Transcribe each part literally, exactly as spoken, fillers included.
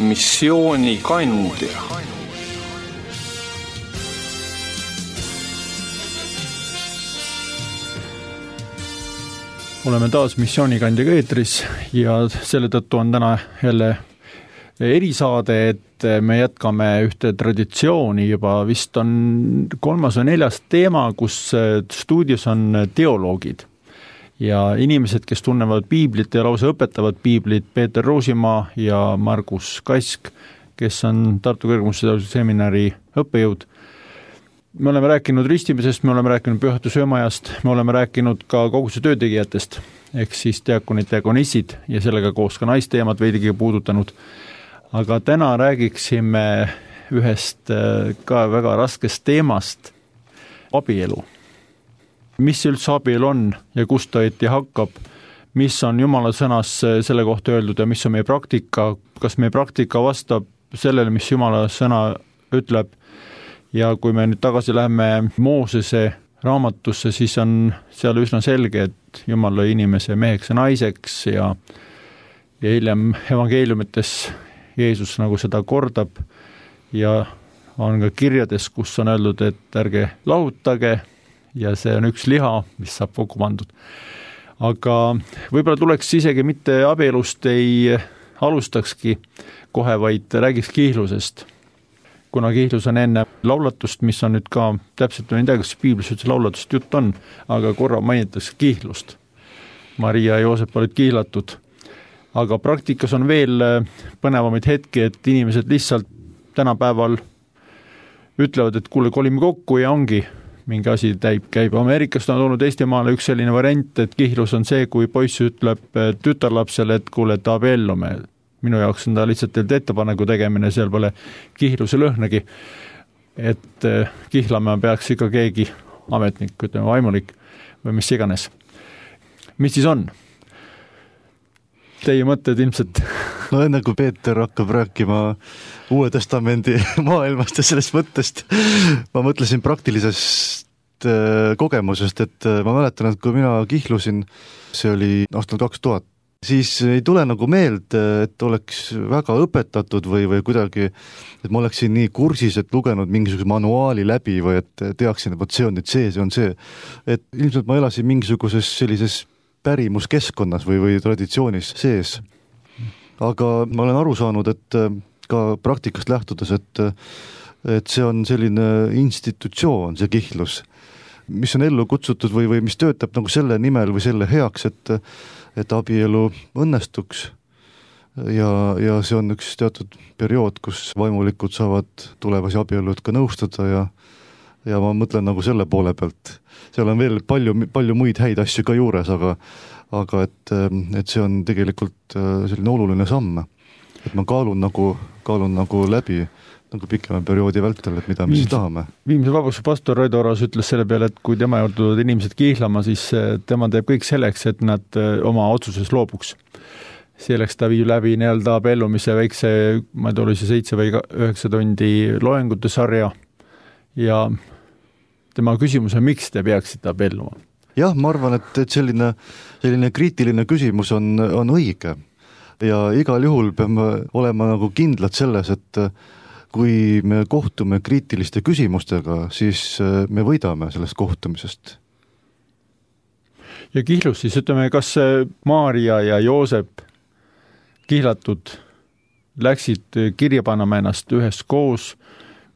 missioonikandja. Oleme taas missioonikandjaga eetris ja selle tõttu on täna jälle erisaade, et me jätkame ühte traditsiooni, juba vist on kolmas või neljas teema, kus stuudios on teoloogid ja inimesed, kes tunnevad piiblit ja lausa õpetavad piiblit, Peeter Roosimaa ja Margus Kask, kes on Tartu Kõrgkooli seminari õppejõud. Me oleme rääkinud ristimisest, me oleme rääkinud pühatu söömajast, me oleme rääkinud ka koguse töötegijatest, ehk siis diakonid, diakonissid ja sellega koos ka naisteemad veidigi puudutanud. Aga täna räägiksime ühest ka väga raskest teemast, abielu. Mis üldse abielu on ja kust ta õieti hakkab, mis on Jumala sõnas selle kohta öeldud ja mis on meie praktika, kas meie praktika vastab sellele, mis Jumala sõna ütleb. Ja kui me nüüd tagasi läheme Moosese raamatusse, siis on seal üsna selge, et Jumal lõi inimese meheks ja naiseks ja, ja hiljem evangeeliumites Jeesus nagu seda kordab ja on ka kirjades, kus on öeldud, et ärge lahutage ja see on üks liha, mis saab kokku pandud. Aga võib-olla tuleks isegi mitte abielust ei alustakski kohe, vaid räägiks kiihlusest. Kuna kiihlus on enne laulatust, mis on nüüd ka täpselt ei tea, kas piiblis üldse laulatust jutt on, aga korra mainitakse kiihlust. Maria ja Joosep olid kiihlatud. Aga praktikas on veel põnevamaid hetki, et inimesed lihtsalt tänapäeval ütlevad, et kuule, kolime kokku ja ongi mingi asi täib, käib. Ameerikast on olnud Eestimaale üks selline variant, et kihlus on see, kui poiss ütleb tütarlapsele, et kuule, et abiellume. Minu jaoks on ta lihtsalt ettepaneku tegemine, seal pole kihluse lõhnagi, et kihlama peaks ikka keegi ametnik, ütleme vaimulik või mis iganes. Mis siis on? Teie mõtted ilmselt? No enne kui Peeter hakkab rääkima Uue Testamendi maailmast ja sellest mõttest, ma mõtlesin praktilisest kogemusest, et ma mäletan, et kui mina kihlusin, see oli aastal kaks tuhat, siis ei tule nagu meelde, et oleks väga õpetatud või, või kuidagi, et ma oleksin nii kursis, et lugenud mingisuguse manuaali läbi või et teaksin, et võt see on nüüd see, see on see. Et ilmselt ma elasin mingisuguses sellises pärimuskeskkonnas või, või traditsioonis sees. Aga ma olen aru saanud, et ka praktikast lähtudes, et, et see on selline institutsioon, see kihlus, mis on ellu kutsutud või, või mis töötab nagu selle nimel või selle heaks, et, et abielu õnnestuks. Ja, ja see on üks teatud periood, kus vaimulikud saavad tulevasi abielud ka nõustada ja ja ma mõtlen nagu selle poole pealt. Seal on veel palju, palju muid häid asju ka juures, aga, aga et, et see on tegelikult selline oluline samm. Et ma kaalun nagu, kaalun nagu läbi nagu pikema perioodi vältel, et mida me siis tahame. Viimse vabastuse pastor Raido Oras ütles selle peale, et kui tema juurde tulevad inimesed kiihlama, siis tema teeb kõik selleks, et nad oma otsuses loobuks. Selleks ta viib läbi nii-öelda abiellumise väikse, ma ei tea, oli see seitse või üheksa tundi loengute sarja ja tema küsimus on, miks te peaksite abielluma? Jah, ma arvan, et, et selline, selline kriitiline küsimus on, on õige. Ja igal juhul peame olema nagu kindlad selles, et kui me kohtume kriitiliste küsimustega, siis me võidame sellest kohtumisest. Ja kihlus siis, ütleme, kas Maaria ja Joosep kihlatud läksid kirja panema ennast ühes koos,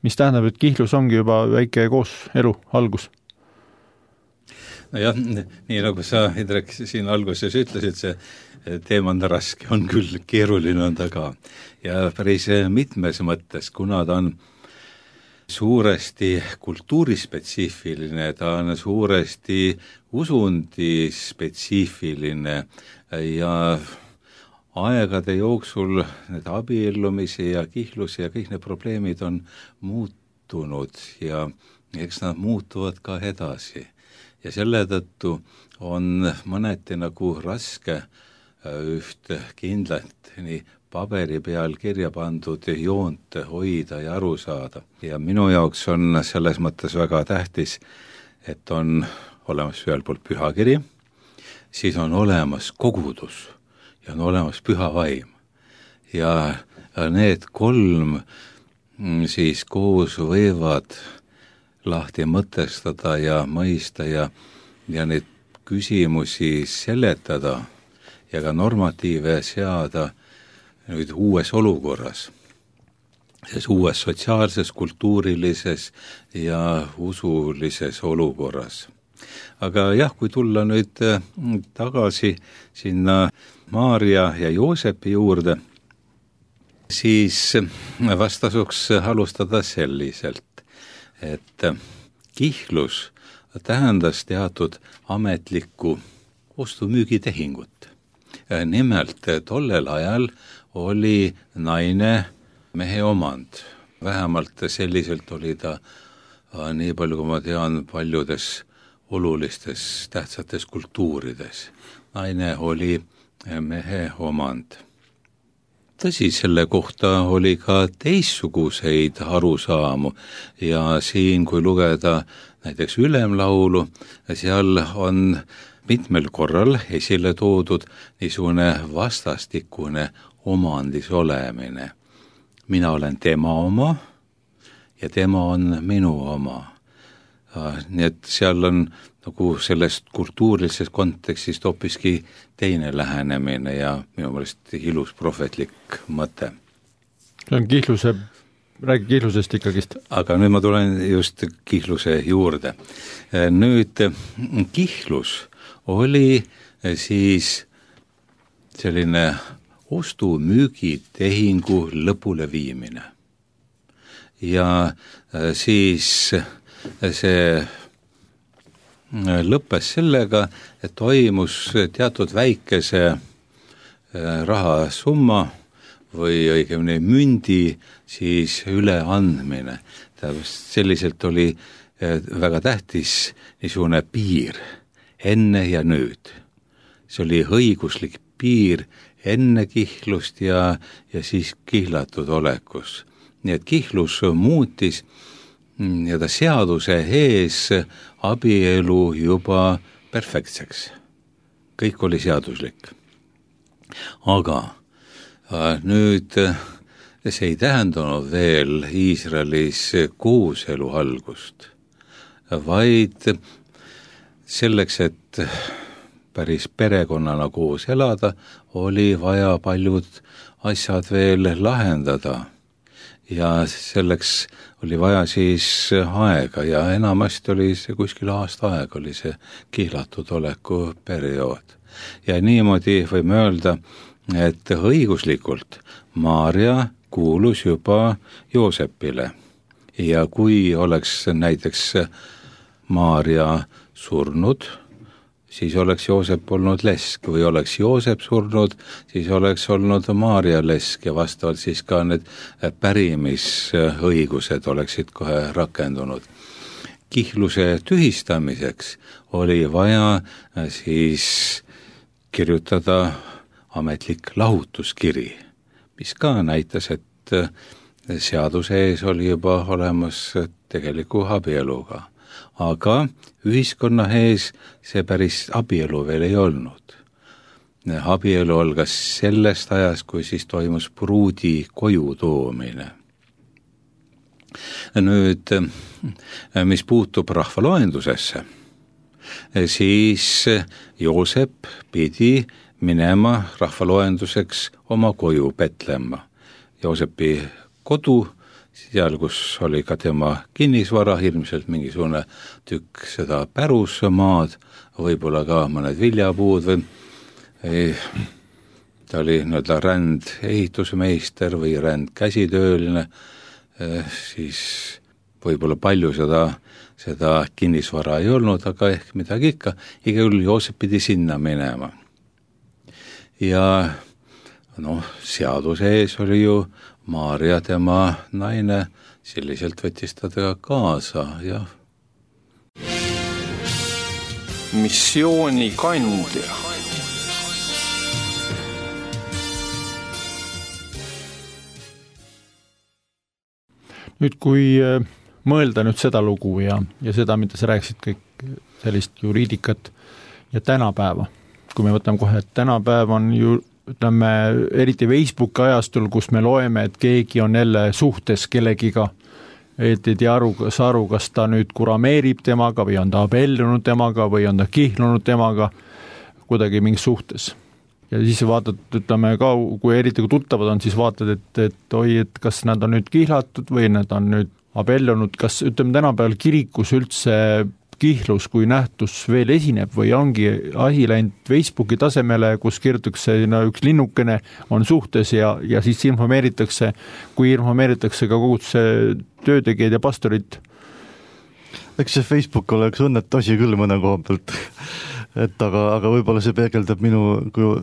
mis tähendab, et kihlus ongi juba väike koos elu algus. No jah, nii nagu sa, Indrek, siin alguses ütlesid, see teema on raske, on küll keeruline on ta ka. Ja päris mitmes mõttes, kuna ta on suuresti kultuurispetsiifiline, ta on suuresti usundispetsiifiline ja aegade jooksul need abiellumisi ja kihlusi ja kõik need probleemid on muutunud ja eks nad muutuvad ka edasi. Ja selle tõttu on mõneti nagu raske üht kindlat nii paberi peal kirja pandud joont hoida ja aru saada. Ja minu jaoks on selles mõttes väga tähtis, et on olemas ühel poolt pühakiri, siis on olemas kogudus ja on olemas püha vaim. Ja need kolm siis koos võivad lahti mõtestada ja mõista ja, ja neid küsimusi seletada ja ka normatiive seada nüüd uues olukorras, selles uues sotsiaalses, kultuurilises ja usulises olukorras. Aga jah, kui tulla nüüd tagasi sinna Maarja ja Joosepi juurde, siis vast tasuks alustada selliselt, et kihlus tähendas teatud ametlikku ostu-müügitehingut. Nimelt tollel ajal oli naine mehe omand. Vähemalt selliselt oli ta nii palju, kui ma tean, paljudes olulistes tähtsates kultuurides. Naine oli mehe omand. Tõsi, selle kohta oli ka teistsuguseid arusaamu ja siin, kui lugeda näiteks ülemlaulu, seal on mitmel korral esile toodud niisugune vastastikune omandis olemine. Mina olen tema oma ja tema on minu oma. Nii et seal on nagu sellest kultuurilisest kontekstist hoopiski teine lähenemine ja minu meelest ilus prohvetlik mõte. See on kihluse, räägi kihlusest ikkagist. Aga nüüd ma tulen just kihluse juurde. Nüüd kihlus oli siis selline ostu-müügitehingu lõpule viimine. Ja siis see lõppes sellega, et toimus teatud väikese rahasumma või õigemini mündi siis üleandmine. Selliselt oli väga tähtis niisugune piir enne ja nüüd. See oli õiguslik piir enne kihlust ja, ja siis kihlatud olekus. Nii et kihlus muutis ja ta seaduse ees abielu juba perfektseks. Kõik oli seaduslik. Aga nüüd see ei tähendanud veel Iisraelis kooselu algust, vaid selleks, et päris perekonnana koos elada, oli vaja paljud asjad veel lahendada. Ja selleks oli vaja siis aega ja enamasti oli see kuskil aasta aeg, oli see kihlatud oleku periood. Ja niimoodi võime öelda, et õiguslikult Maarja kuulus juba Joosepile. Ja kui oleks näiteks Maarja surnud, siis oleks Joosep olnud lesk, või oleks Joosep surnud, siis oleks olnud Maarja lesk ja vastavalt siis ka need pärimisõigused oleksid kohe rakendunud. Kihluse tühistamiseks oli vaja siis kirjutada ametlik lahutuskiri, mis ka näitas, et seaduse ees oli juba olemas tegeliku abieluga. Aga ühiskonna ees see päris abielu veel ei olnud. Abielu algas sellest ajast, kui siis toimus pruudi koju toomine. Nüüd, mis puutub rahvaloendusesse, siis Joosep pidi minema rahvaloenduseks oma koju Petlemma. Joosepi kodu, seal, kus oli ka tema kinnisvara, ilmselt mingisugune tükk seda pärusmaad, võib-olla ka mõned viljapuud või ei, ta oli nii-öelda ränd ehitusmeister või ränd käsitööline, siis võib-olla palju seda, seda kinnisvara ei olnud, aga ehk midagi ikka, iga küll Joosep pidi sinna minema. Ja noh, seaduse ees oli ju Maarja tema naine, selliselt võttis ta tega kaasa ja missiooni kandja. Nüüd, kui mõelda nüüd seda lugu ja, ja seda, mida sa rääkisid, kõik sellist juriidikat ja tänapäeva, kui me võtame kohe, et tänapäev on ju ütleme, eriti Facebooki ajastul, kus me loeme, et keegi on jälle suhtes kellegiga, et ei tea aru, kas aru, kas ta nüüd kurameerib temaga või on ta abellunud temaga või on ta kihlunud temaga kuidagi mingis suhtes. Ja siis vaatad, ütleme ka, kui eriti kui tuttavad on, siis vaatad, et, et oi, et kas nad on nüüd kihlatud või nad on nüüd abellunud, kas ütleme tänapäeval kirikus üldse kihlus kui nähtus veel esineb või ongi asi läinud Facebooki tasemele, kus kirjutakse no, üks linnukene on suhtes ja, ja siis informeeritakse, kui informeeritakse ka koguduse töötegijad ja pastorid. Eks see Facebook oleks õnnetu asi küll mõne koha pealt, et aga, aga võib-olla see peegeldab minu kui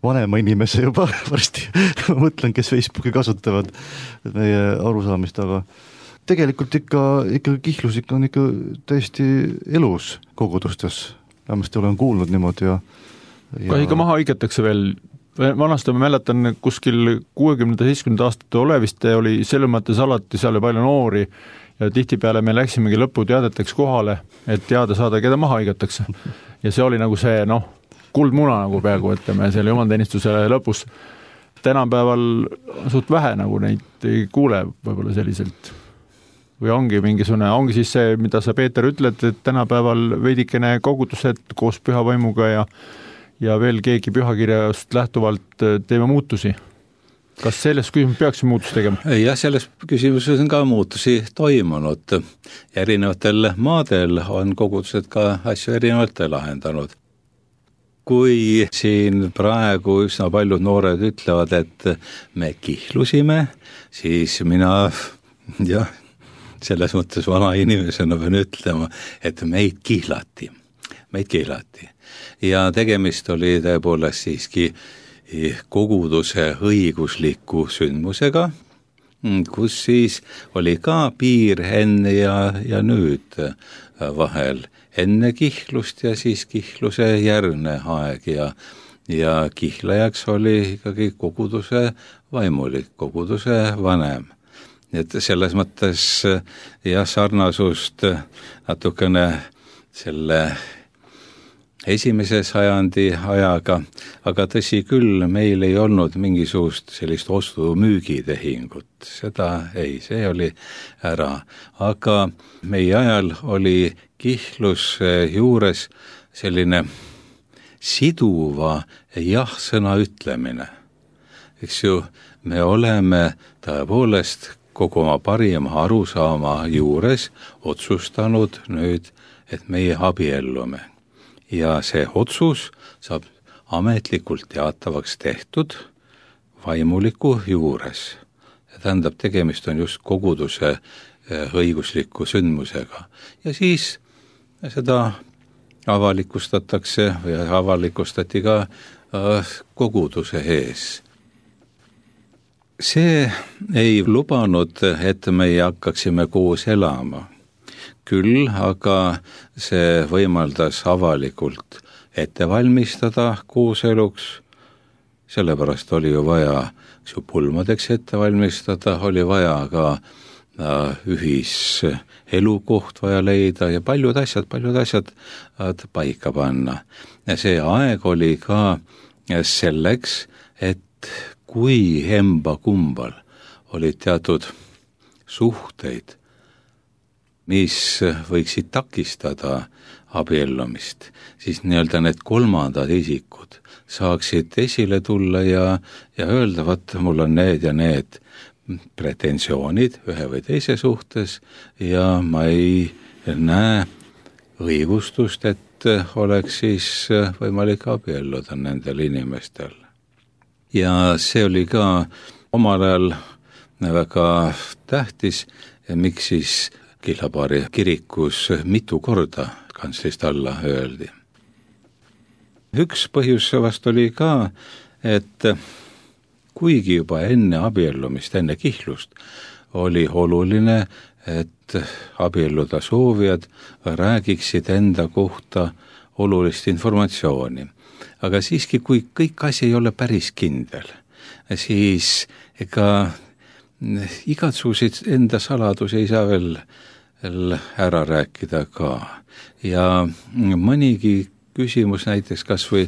vanema inimese juba varsti, ma mõtlen, kes Facebooki kasutavad meie arusaamist, aga tegelikult ikka, ikka kihlus ikka on ikka täiesti elus kogudustes. Vähemasti olen kuulnud niimoodi ja, ja... Kas ikka maha õigetakse veel? Vanasti ma mäletan kuskil kuuekümnenda seitsmekümnenda aastate oleviste oli selles mõttes alati seal palju noori ja tihtipeale me läksimegi lõputeadeteks kohale, et teada saada, keda maha õigetakse. Ja see oli nagu see, noh, kuldmuna nagu peaaegu, ütleme, selle jumalteenistuse lõpus. Tänapäeval suht vähe nagu neid ei kuule võib-olla selliselt. Või ongi mingisugune, ongi siis see, mida sa, Peeter, ütled, et tänapäeval veidikene kogudused koos pühavaimuga ja, ja veel keegi pühakirjast lähtuvalt teeme muutusi. Kas selles küsimus peaks muutus tegema? Jah, selles küsimuses on ka muutusi toimunud. Erinevatel maadel on kogudused ka asju erinevalt lahendanud. Kui siin praegu üsna paljud noored ütlevad, et me kihlusime, siis mina, jah, selles mõttes vana inimesena pean ütlema, et meid kihlati. Meid kihlati. Ja tegemist oli tõepoolest siiski koguduse õigusliku sündmusega, kus siis oli ka piir enne ja, ja nüüd vahel. Enne kihlust ja siis kihluse järgne aeg ja, ja kihlajaks oli ikkagi koguduse vaimulik, koguduse vanem. Et selles mõttes jah, sarnasust natukene selle esimese sajandi ajaga, aga tõsi küll, meil ei olnud mingisugust sellist ostu-müügitehingut, seda ei, see oli ära, aga meie ajal oli kihlus juures selline siduva jah-sõna ütlemine. Eks ju, me oleme tõepoolest kogu oma parima arusaama juures otsustanud nüüd, et meie abiellume. Ja see otsus saab ametlikult teatavaks tehtud vaimuliku juures. Ja tähendab, tegemist on just koguduse õigusliku sündmusega. Ja siis seda avalikustatakse või avalikustati ka koguduse ees. See ei lubanud, et me hakkaksime koos elama. Küll, aga see võimaldas avalikult ette valmistada kooseluks, sellepärast oli ju vaja pulmadeks ette valmistada, oli vaja ka ühiselukoht vaja leida ja paljud asjad, paljud asjad paika panna. Ja see aeg oli ka selleks, et kui emba kumbal olid teatud suhteid, mis võiksid takistada abiellumist, siis nii-öelda need kolmandad isikud saaksid esile tulla ja, ja öelda, vaat mul on need ja need pretensioonid ühe või teise suhtes ja ma ei näe õigustust, et oleks siis võimalik abielluda nendel inimestel. Ja see oli ka omal ajal väga tähtis, miks siis Kihlapaari kirikus mitu korda kantslist alla öeldi. Üks põhjus vast oli ka, et kuigi juba enne abiellumist, enne kihlust, oli oluline, et abielluda soovijad räägiksid enda kohta olulist informatsiooni. Aga siiski, kui kõik asi ei ole päris kindel, siis ega igatsusid enda saladusi ei saa veel, veel ära rääkida ka. Ja mõnigi küsimus näiteks kas või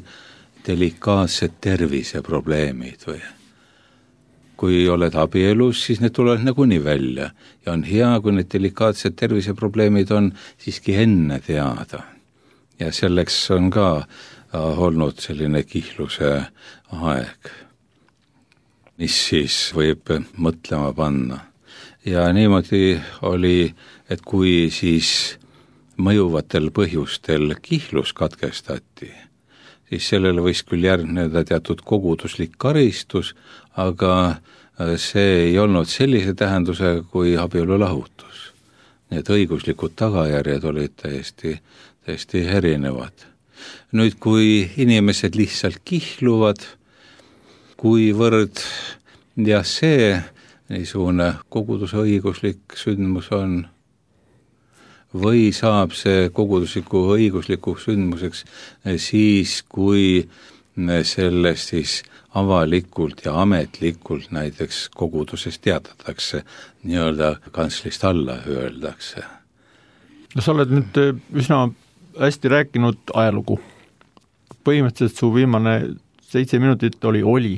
delikaatsed terviseprobleemid või kui oled abielus, siis need tulevad nagunii välja ja on hea, kui need delikaatsed terviseprobleemid on siiski enne teada. Ja selleks on ka olnud selline kihluse aeg, mis siis võib mõtlema panna. Ja niimoodi oli, et kui siis mõjuvatel põhjustel kihlus katkestati, siis sellele võis küll järgneda teatud koguduslik karistus, aga see ei olnud sellise tähendusega kui abielulahutus. Need õiguslikud tagajärjed olid täiesti, täiesti erinevad. Nüüd, kui inimesed lihtsalt kihluvad, kuivõrd ja see niisugune koguduse õiguslik sündmus on, või saab see kogudusliku õigusliku sündmuseks siis, kui sellest siis avalikult ja ametlikult näiteks koguduses teatatakse, nii-öelda kantslist alla öeldakse. No sa oled nüüd üsna hästi rääkinud ajalugu. Põhimõtteliselt su viimane seitse minutit oli oli,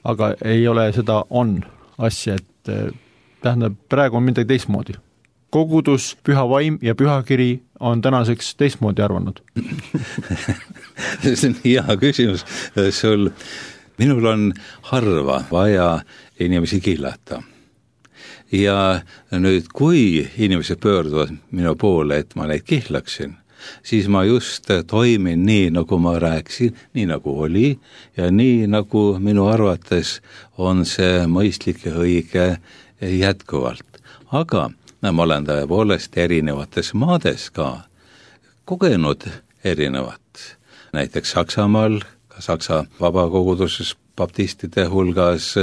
aga ei ole seda on asja, et tähendab, praegu on midagi teistmoodi. Kogudus, püha vaim ja pühakiri on tänaseks teistmoodi arvanud. See on hea küsimus sul. Minul on harva vaja inimesi kihlata. Ja nüüd, kui inimesed pöörduvad minu poole, et ma neid kihlaksin, siis ma just toimin nii, nagu ma rääksin, nii nagu oli ja nii, nagu minu arvates on see mõistlik ja õige jätkuvalt. Aga no, ma olen tõepoolest erinevates maades ka kogenud erinevat. Näiteks Saksamaal, ka Saksa vabakoguduses baptistide hulgas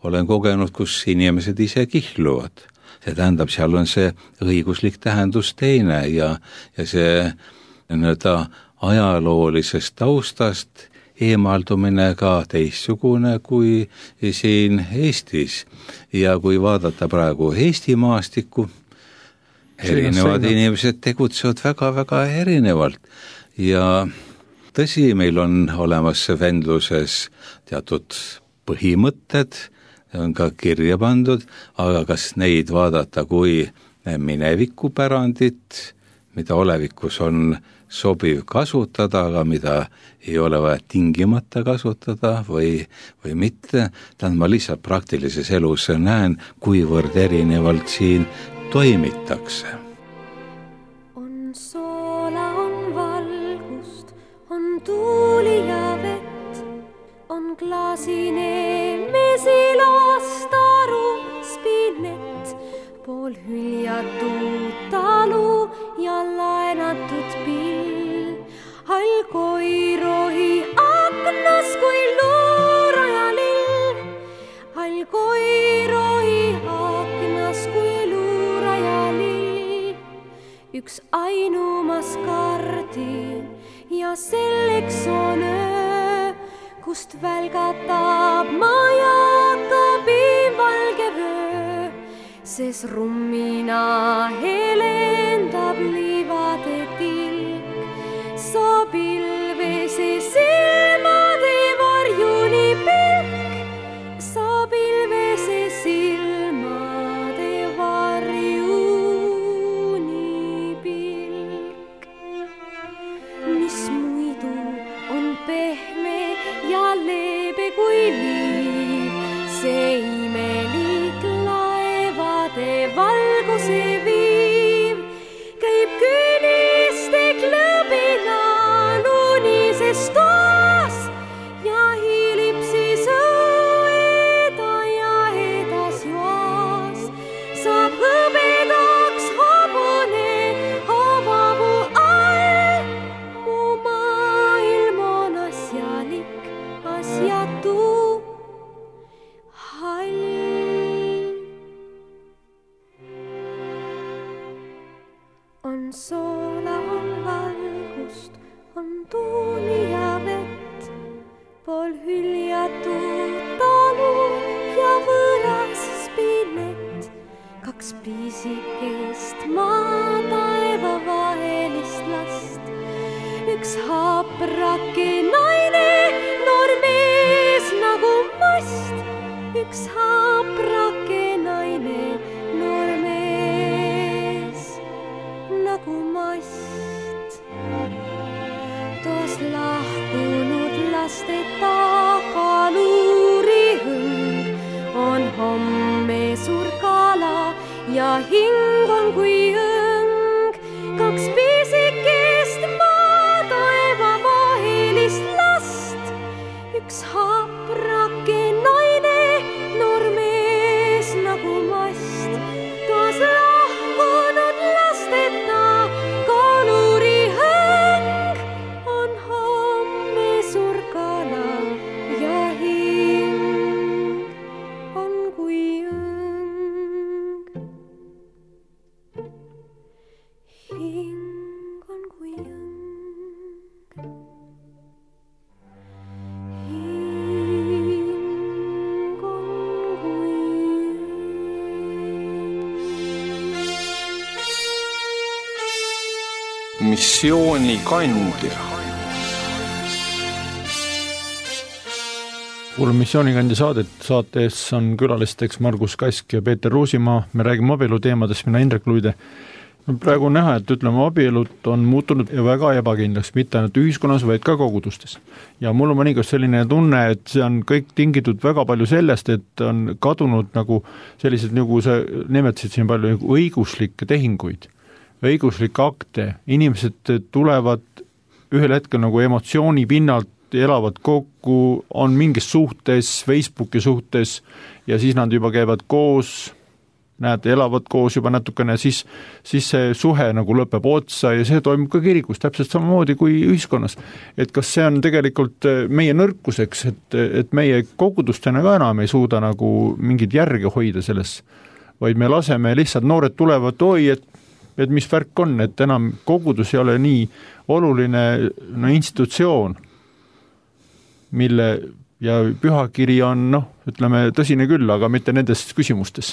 olen kogenud, kus inimesed ise kihluvad. See tähendab, seal on see õiguslik tähendus teine ja, ja see nii-öelda ajaloolisest taustast eemaldumine ka teistsugune kui siin Eestis. Ja kui vaadata praegu Eesti maastikku, erinevad inimesed tegutsevad väga-väga erinevalt ja tõsi, meil on olemas vendluses teatud põhimõtted, on ka kirja pandud, aga kas neid vaadata kui minevikupärandit, mida olevikus on sobiv kasutada, aga mida ei ole vaja tingimata kasutada või, või mitte, tähendab ma lihtsalt praktilises elus näen, kuivõrd erinevalt siin toimitakse. On soola, on valgust, on tuuli ja vett, on klaasine mesilastaru spinett, pool hüljatud talu ja laenatud pill. Hall koirohi aknas kui luuraja lill. Hall koirohi aknas kui luuraja lill. Üks ainumas kardin ja selleks on öö, kust välgatab majakabin valge vöö. Ses rummina helendab liivade tilk, sa pilvese silmade varjuni pilk, sa pilvese silmade varjuni pilk. Mis muidu on pehme ja leebe kui liiv, see imelik laevade valguse viiv, käib küüniste klõbina unises toas ja hiilib siis õeda ja edas joas. Saab hõbedaks hobune havavu all, mu maailm on asjalik, asjatu, hall. On soola, on valgust, on tuuli ja vett, pool hüljatud talu ja võõras spinett. Kaks piisikest maa taeva vahelist last, üks haprake naine üks haaprake naine, noor mees nagu mast. Toas lahkunud lasteta kaluuri hõng on homme suur kala ja hing on kui õng. Kaks pisikest maataeva vahelist last, üks haaprake naine, noor mees nagu mast. Toas lahkunud lasteta kaluuri hõng on homme suur kala ja hing on kui õng. Hing on kui õng. Missiooni kandja. Kuulame missioonikandja saadet, saates on külalisteks Margus Kask ja Peeter Ruusimaa. Me räägime abielu teemadest, mina Indrek Luide. Praegu on näha, et ütleme, abielud on muutunud väga ebakindlaks, mitte ainult ühiskonnas, vaid ka kogudustes. Ja mul on mõnikord selline tunne, et see on kõik tingitud väga palju sellest, et on kadunud nagu sellised, nagu sa nimetasid siin palju, nagu õiguslikke tehinguid, õiguslikke akte. Inimesed tulevad ühel hetkel nagu emotsiooni pinnalt, elavad kokku, on mingis suhtes, Facebooki suhtes ja siis nad juba käivad koos, näed, elavad koos juba natukene, siis, siis see suhe nagu lõpeb otsa ja see toimub ka kirikus täpselt samamoodi kui ühiskonnas. Et kas see on tegelikult meie nõrkuseks, et, et meie kogudustena ka enam ei suuda nagu mingid järge hoida selles, vaid me laseme lihtsalt, noored tulevad, oi, et, et mis värk on, et enam kogudus ei ole nii oluline no, institutsioon, mille ja pühakiri on, noh, ütleme tõsine küll, aga mitte nendes küsimustes.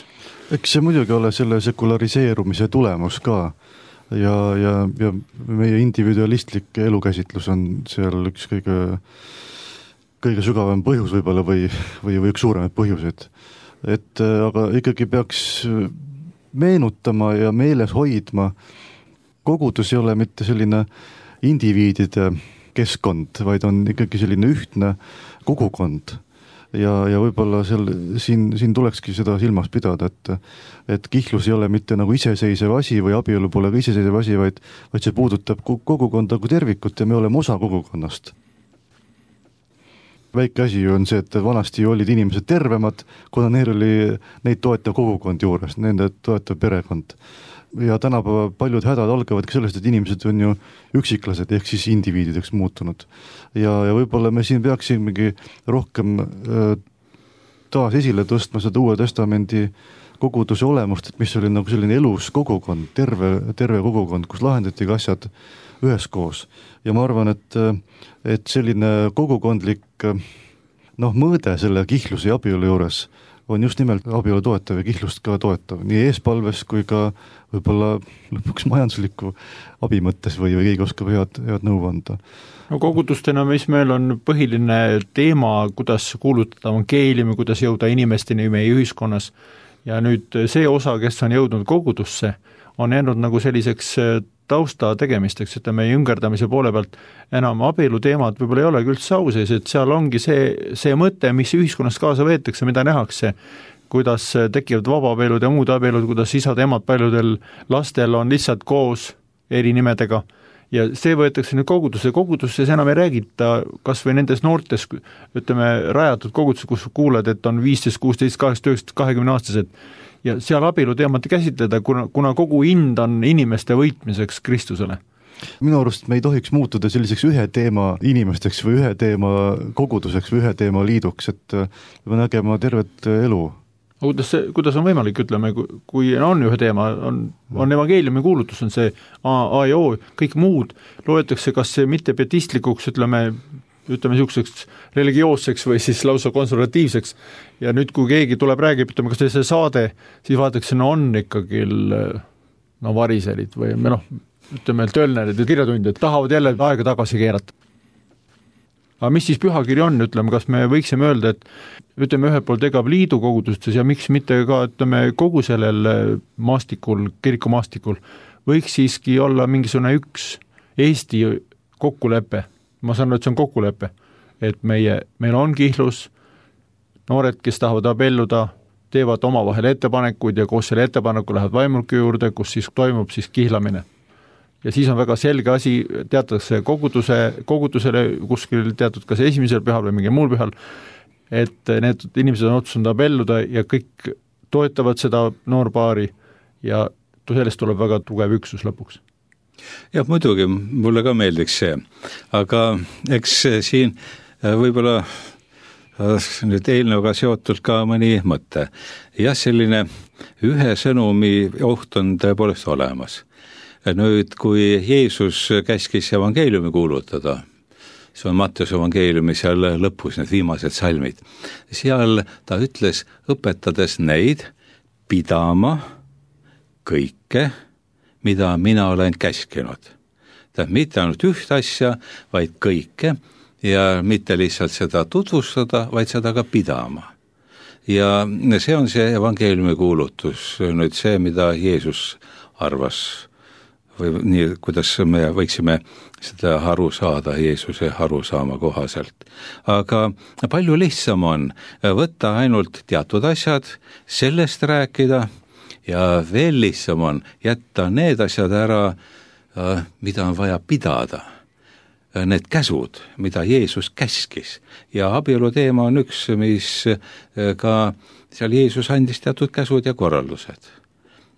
Eks see muidugi ole selle sekulariseerumise tulemus ka ja, ja, ja meie individualistlik elukäsitlus on seal üks kõige, kõige sügavam põhjus võib-olla või, või, või üks suuremaid põhjuseid. Et aga ikkagi peaks meenutama ja meeles hoidma, kogudus ei ole mitte selline indiviidide keskkond, vaid on ikkagi selline ühtne kogukond. Ja, ja võib-olla seal, siin, siin tulekski seda silmas pidada, et, et kihlus ei ole mitte nagu iseseisev asi või abielu pole ka iseseisev asi, vaid, vaid see puudutab kogukonda kui tervikut ja me oleme osa kogukonnast. Väike asi on see, et vanasti olid inimesed tervemad, kuna neil oli neid toetav kogukond juures, nende toetav perekond. Ja tänapäeva paljud hädad algavadki sellest, et inimesed on ju üksiklased ehk siis indiviidideks muutunud. Ja, ja võib-olla me siin peaksimegi rohkem äh, taas esile tõstma seda Uue Testamendi koguduse olemust, et mis oli nagu selline elus kogukond, terve, terve kogukond, kus lahendati asjad üheskoos. Ja ma arvan, et, et selline kogukondlik noh, mõõde selle kihluse ja abielu juures on just nimelt abielu toetav ja kihlust ka toetav, nii eespalves kui ka võib-olla lõpuks majandusliku abi mõttes või, või keegi oskab head, head nõu anda. No kogudustena, mis meil on põhiline teema, kuidas kuulutada evangeeliumi, kuidas jõuda inimesteni meie ühiskonnas ja nüüd see osa, kes on jõudnud kogudusse, on jäänud nagu selliseks tausta tegemisteks, et meie ümgerdamise poole pealt enam abielu teemad võib-olla ei olegi üldse au sees, et seal ongi see, see mõte, mis ühiskonnas kaasa võetakse, mida nähakse, kuidas tekivad vabaabielud ja muud abielud, kuidas isad ja emad paljudel lastel on lihtsalt koos eri nimedega ja see võetakse nüüd kogudusse, kogudusse enam ei räägita, kas või nendes noortes, ütleme, rajatud kogudusse, kus kuuled, et on viisteist, kuusteist, kaheksateist, kakskümmend aastased ja seal abielu teemat käsitleda, kuna, kuna kogu hind on inimeste võitmiseks Kristusele. Minu arust me ei tohiks muutuda selliseks ühe teema inimesteks või ühe teema koguduseks või ühe teema liiduks, et me nägema tervet elu. Kuidas, see, kuidas on võimalik, ütleme, kui on ühe teema, on, on evangeeliumi kuulutus, on see A, A ja O, kõik muud loetakse kas see mittepiatistlikuks, ütleme, ütleme niisuguseks religioosseks või siis lausa konservatiivseks ja nüüd, kui keegi tuleb, räägib, ütleme, kas see saade, siis vaadatakse, no on ikkagi no variselid või noh, ütleme, tölnerid ja kirjatundjad tahavad jälle aega tagasi keerata. aga mis siis pühakiri on, ütleme, kas me võiksime öelda, et ütleme ühelt poolt EGAV liidu kogudustes ja miks mitte ka, ütleme, kogu sellel maastikul, kirikumaastikul võiks siiski olla mingisugune üks Eesti kokkulepe, ma saan aru, et see on kokkulepe, et meie, meil on kihlus, noored, kes tahavad abielluda, teevad omavahel ettepanekuid ja koos selle ettepaneku lähevad vaimulke juurde, kus siis toimub siis kihlamine. Ja siis on väga selge asi, teatakse koguduse, kogudusele kuskil teatud kas esimesel pühal või mingi muul pühal, et need inimesed on otsustanud abielluda ja kõik toetavad seda noorpaari ja sellest tuleb väga tugev üksus lõpuks. Jah, muidugi, mulle ka meeldiks see, aga eks siin võib-olla nüüd eelnõuga seotud ka mõni mõte. Jah, selline ühe sõnumi oht on tõepoolest olemas. Nüüd, kui Jeesus käskis evangeeliumi kuulutada, see on Matteuse evangeeliumi seal lõpus, need viimased salmid, seal ta ütles, õpetades neid pidama kõike, mida mina olen käskinud. Tähendab, mitte ainult üht asja, vaid kõike ja mitte lihtsalt seda tutvustada, vaid seda ka pidama. Ja see on see evangeeliumi kuulutus, nüüd see, mida Jeesus arvas, või nii, kuidas me võiksime seda aru saada Jeesuse arusaama kohaselt. Aga palju lihtsam on võtta ainult teatud asjad, sellest rääkida ja veel lihtsam on jätta need asjad ära, mida on vaja pidada. Need käsud, mida Jeesus käskis. Ja abielu teema on üks, mis ka seal Jeesus andis teatud käsud ja korraldused.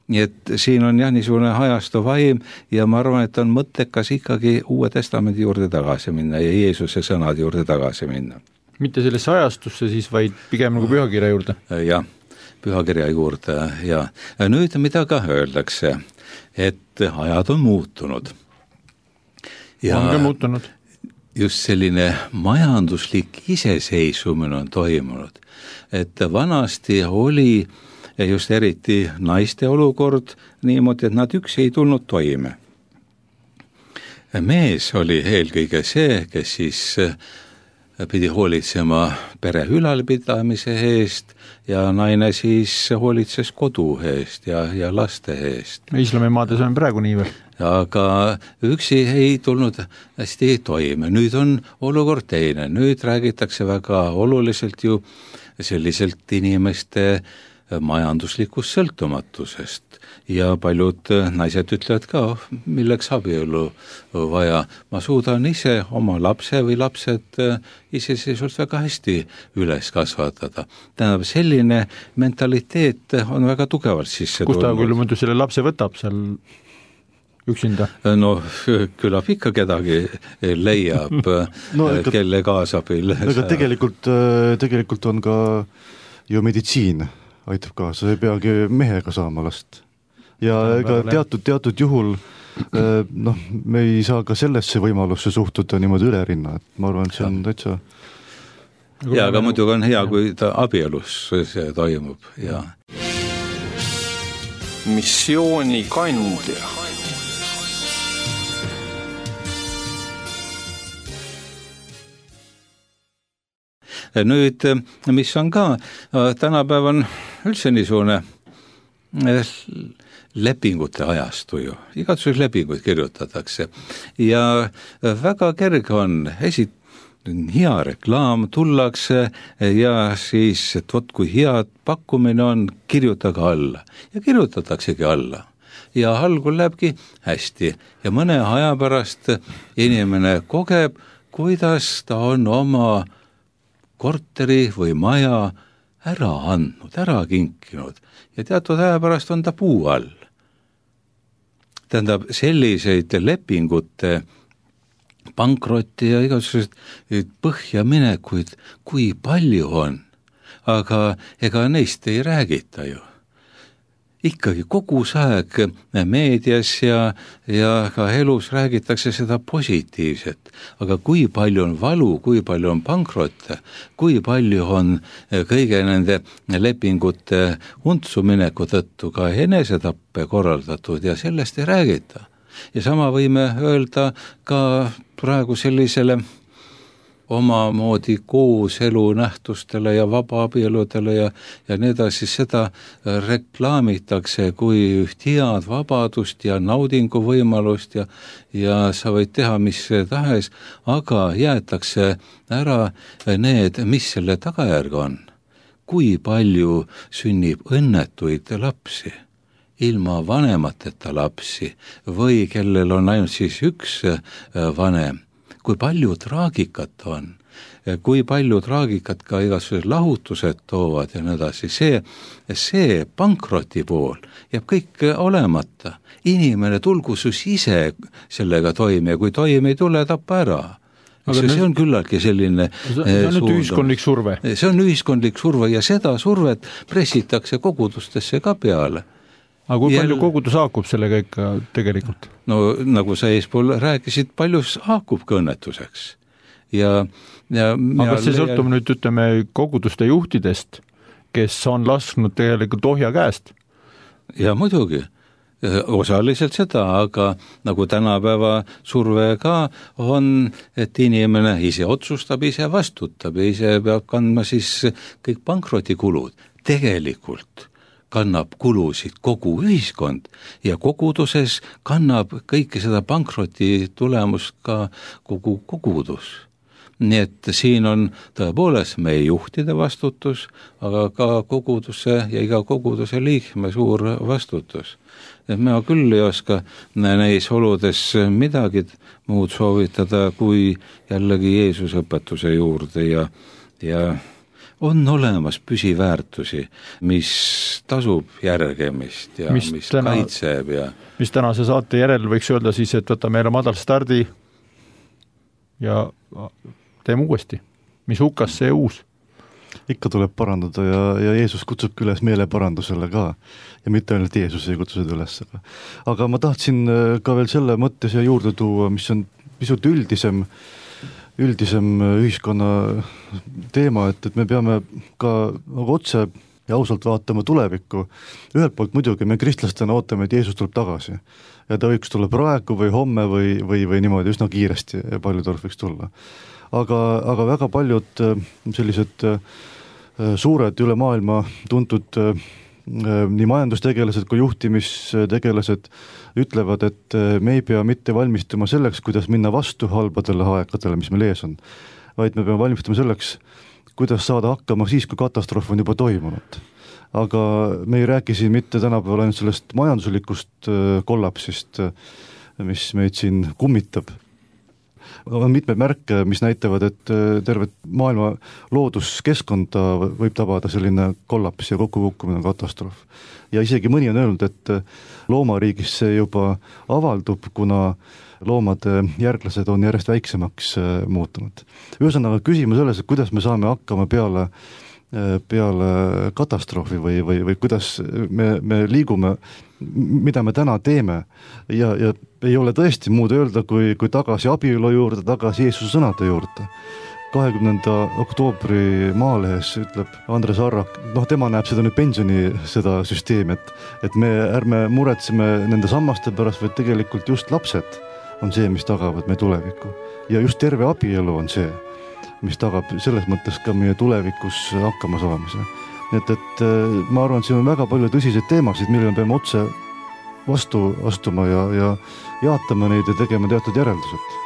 Nii et siin on jah niisugune hajastu vaim ja ma arvan, et on mõttekas ikkagi Uue Testamendi juurde tagasi minna ja Jeesuse sõnade juurde tagasi minna. Mitte sellesse hajastusse siis, vaid pigem nagu pühakirja juurde? Jah, pühakirja juurde ja nüüd mida ka öeldakse, et ajad on muutunud. Ja on ka muutunud. Just selline majanduslik iseseisvumine on toimunud, et vanasti oli ja just eriti naiste olukord niimoodi, et nad üksi ei tulnud toime. Mees oli eelkõige see, kes siis pidi hoolitsema pere ülalpidamise eest ja naine siis hoolitses kodu eest ja, ja laste eest. Islamimaades on praegu nii veel. Aga üksi ei tulnud hästi toime. Nüüd on olukord teine. Nüüd räägitakse väga oluliselt ju selliselt inimeste majanduslikust sõltumatusest ja paljud naised ütlevad ka, milleks abielu vaja. Ma suudan ise oma lapse või lapsed iseseisvalt väga hästi üles kasvatada. Tähendab, selline mentaliteet on väga tugevalt sisse tulnud. Kus ta küll muidu selle lapse võtab seal üksinda? No küllap ikka kedagi leiab, no, ega, kelle kaasabil. Ega tegelikult, tegelikult on ka ju meditsiin aitab kaasa, see ei peagi mehega saama last. Ja ega teatud, teatud juhul noh, me ei saa ka sellesse võimalusse suhtuda niimoodi üle rinna, et ma arvan, et see on täitsa... Ja, aga muidugi on hea, kui ta abielus see toimub. Ja. Missiooni kandja. Nüüd, mis on ka, tänapäev on üldse niisugune lepingute ajastu ju, igatsus lepinguid kirjutatakse ja väga kerge on, esit hea reklaam, tullakse ja siis, et vot kui head pakkumine on, kirjutage alla ja kirjutataksegi alla. Ja algul lähebki hästi ja mõne aja pärast inimene kogeb, kuidas ta on oma korteri või maja ära andnud, ära kinkinud ja teatud aja pärast on ta puu all. Tähendab, selliseid lepingute pankrotti ja igasugused põhjaminekuid, kui palju on, aga ega neist ei räägita ju. Ikkagi kogu aeg meedias ja, ja ka elus räägitakse seda positiivset, aga kui palju on valu, kui palju on pankrotte, kui palju on kõige nende lepingute untsumineku tõttu ka enesetappe korraldatud ja sellest ei räägita. Ja sama võime öelda ka praegu sellisele omamoodi kooselu nähtustele ja vabaabieludele ja, ja nii edasi, seda reklaamitakse kui üht head vabadust ja naudinguvõimalust ja, ja sa võid teha mis tahes, aga jäetakse ära need, mis selle tagajärg on. Kui palju sünnib õnnetuid lapsi, ilma vanemateta lapsi või kellel on ainult siis üks vanem, kui palju traagikat on, kui palju traagikat ka igasugused lahutused toovad ja nii edasi, see, see pankroti pool jääb kõik olemata. Inimene tulgu sus ise sellega toime ja kui toime ei tule, tappa ära. See, see on küllaltki selline see on nüüd ühiskondlik surve. See on ühiskondlik surve ja seda survet pressitakse kogudustesse ka peale. Aga kui Jäl... palju kogudus haakub sellega ikka tegelikult? No nagu sa eespool rääkisid, palju haakub ka õnnetuseks. Ja, ja aga see leian... sõltub nüüd, ütleme, koguduste juhtidest, kes on lasknud tegelikult ohja käest? Ja muidugi. Osaliselt seda, aga nagu tänapäeva surve ka on, et inimene ise otsustab, ise vastutab ja ise peab kandma siis kõik pankrotikulud. Tegelikult kannab kulusid kogu ühiskond ja koguduses kannab kõike seda pankroti tulemust ka kogu kogudus. Nii et siin on tõepoolest meie juhtide vastutus, aga ka koguduse ja iga koguduse liikme suur vastutus. Et ma küll ei oska neis oludes midagi muud soovitada kui jällegi Jeesuse õpetuse juurde ja, ja on olemas püsiväärtusi, mis tasub järgemist ja mis, mis täna, kaitseb. Ja... mis tänase saate järel võiks öelda siis, et võta meile madal stardi ja teeme uuesti. Mis hukas see uus? Ikka tuleb parandada ja, ja Jeesus kutsubki üles meeleparandusele ka. Ja mitte ainult Jeesus ei kutsu seda üles. Aga, aga ma tahtsin ka veel selle mõtte siia juurde tuua, mis on pisut üldisem, üldisem ühiskonna teema, et, et me peame ka otse ja ausalt vaatama tulevikku. Ühelt poolt muidugi me kristlastena ootame, et Jeesus tuleb tagasi. Ja ta võiks tulla praegu või homme või, või, või niimoodi üsna kiiresti ja palju ta võiks tulla. Aga, aga väga paljud sellised suured üle maailma tuntud nii majandustegelased kui juhtimistegelased ütlevad, et me ei pea mitte valmistuma selleks, kuidas minna vastu halbadele aegadele, mis meil ees on, vaid me peame valmistuma selleks, kuidas saada hakkama siis, kui katastroof on juba toimunud. Aga me ei räägi siin mitte tänapäeval ainult sellest majanduslikust kollapsist, mis meid siin kummitab. On mitmed märke, mis näitavad, et tervet maailma looduskeskkonda võib tabada selline kollaps ja kokkukukkumine katastroof. Ja isegi mõni on öelnud, et loomariigis see juba avaldub, kuna loomade järglased on järjest väiksemaks muutunud. Ühesõnaga küsimus selles, et kuidas me saame hakkama peale peale katastroofi või, või, või kuidas me, me liigume, mida me täna teeme ja, ja ei ole tõesti muud öelda, kui, kui tagasi abielu juurde, tagasi Jeesuse sõnade juurde. kahekümnenda oktoobri Maalehes ütleb Andres Arrak, noh tema näeb seda nüüd pensioni seda süsteemi, et, et me ärme muretseme nende sammaste pärast, vaid tegelikult just lapsed on see, mis tagavad meie tulevikku. Ja just terve abielu on see, mis tagab selles mõttes ka meie tulevikus hakkama saamise. Et, et ma arvan, et siin on väga palju tõsiseid teemasid, mille me peame otse vastu astuma ja, ja jaatama neid ja tegema teatud järeldused.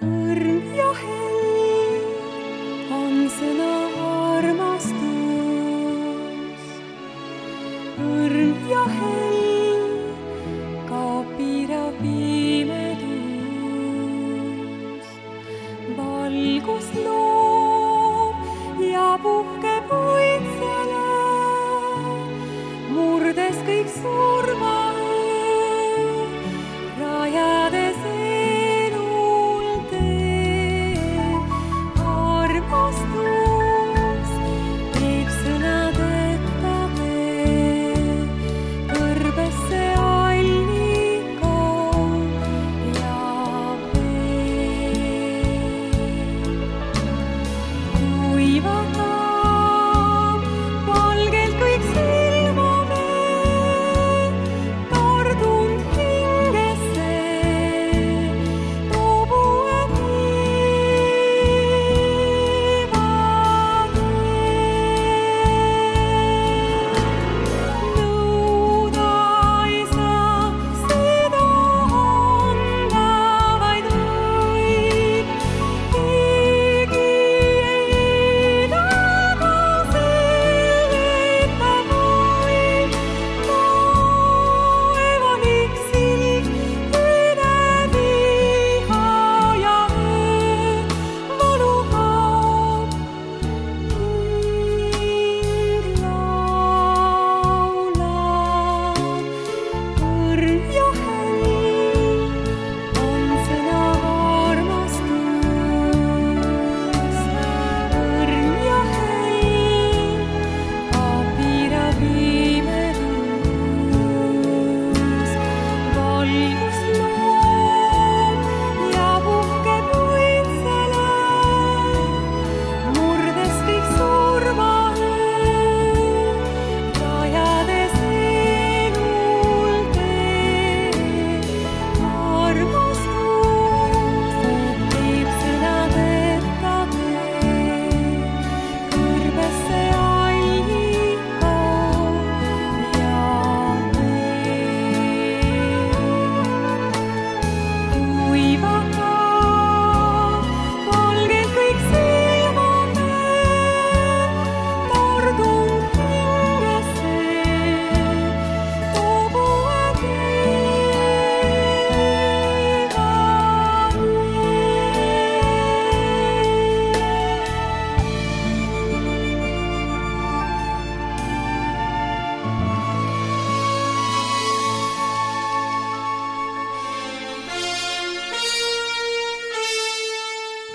Õrn ja hell on sõna armastus. Õrn ja hell valgus loob ja puhkeb õitsele, murdes kõik surma, rajades elul tee. Armastus teeb sõnadeta tee, kõrbesse allika ja vatab valgelt kõik silmame,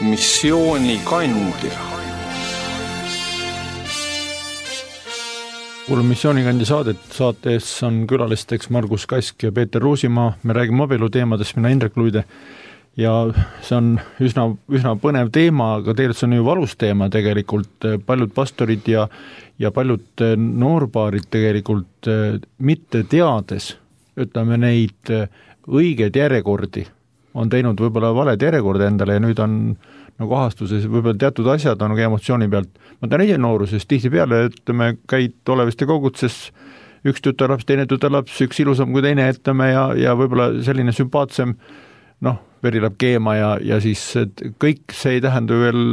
missiooni kandja. kuulame missioonikandi saadet, saates on külalisteks Margus Kask ja Peeter Ruusimaa, me räägime abielu teemadest, mina Indrek Luide ja see on üsna, üsna põnev teema, aga tegelikult see on ju valus teema tegelikult, paljud pastorid ja, ja paljud noorbaarid tegelikult mitte teades, ütleme neid õigeid järjekordi, on teinud võib-olla valed järjekorda endale ja nüüd on nagu ahastuses võib-olla teatud asjad on nagu emotsiooni pealt. Ma tean ise noorusest tihti peale, ütleme, käid oleviste kogutses, üks tütarlaps, teine tütarlaps, üks ilusam kui teine, ütleme, ja, ja võib-olla selline sümpaatsem, noh, veri läheb keema ja, ja siis kõik see ei tähenda veel